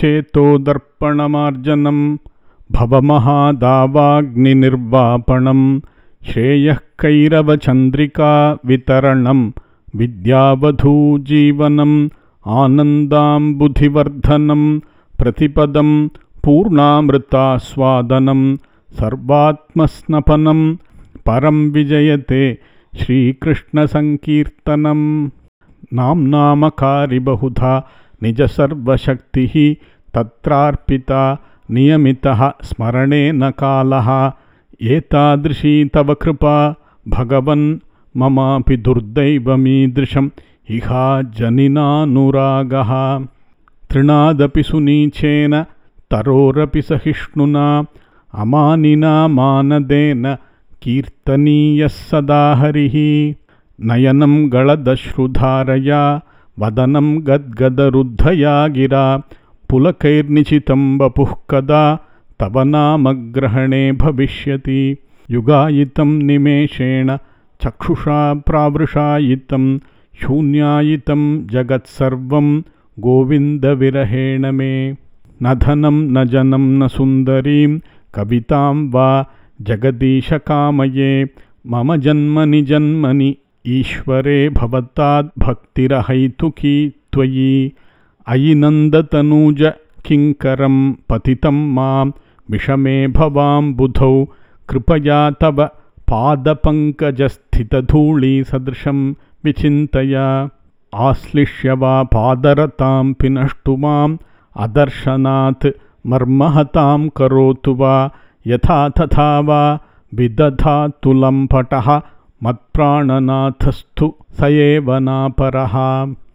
चेतोदर्पणमार्जनं भवमहादावाग्निनिर्वापणं श्रेयः कैरवचन्द्रिका वितरणं विद्यावधूजीवनम् आनन्दाम्बुधिवर्धनं प्रतिपदं पूर्णामृतास्वादनं सर्वात्मस्नपनं परं विजयते श्रीकृष्णसङ्कीर्तनम्। नाम्नामकारि बहुधा निजसर्वशक्तिः तत्रार्पिता नियमितः स्मरणेन कालः एतादृशी तव कृपा भगवन् ममापि दुर्दैवमीदृशम् इहा जनिनानुरागः तृणादपि सुनीचेन तरोरपि सहिष्णुना अमानिना मानदेन कीर्तनीयः सदा हरिः नयनं गलदश्रुधारया वदनं गद्गदरुद्धया गिरा पुलकैर्निचितं वपुः कदा तव नामग्रहणे भविष्यति युगायितं निमेषेण चक्षुषा प्रावृषायितं शून्यायितं जगत्सर्वं गोविन्दविरहेण मे न धनं न जनं न सुन्दरीं कवितां वा जगदीश कामये मम जन्मनि जन्मनि ईश्वरे भवताद्भक्तिरहैतुकी त्वयि अयि नन्दतनूज किङ्करं पतितं मां विषमे भवाम्बुधौ कृपया तव पादपङ्कजस्थितधूळीसदृशं विचिन्तय आश्लिष्य वा पादरतां पिनष्टु माम् अदर्शनात् मर्महतां करोतु वा यथा तथा वा विदधातु लम्पटः मत्प्राणनाथस्तु स एव नापरः।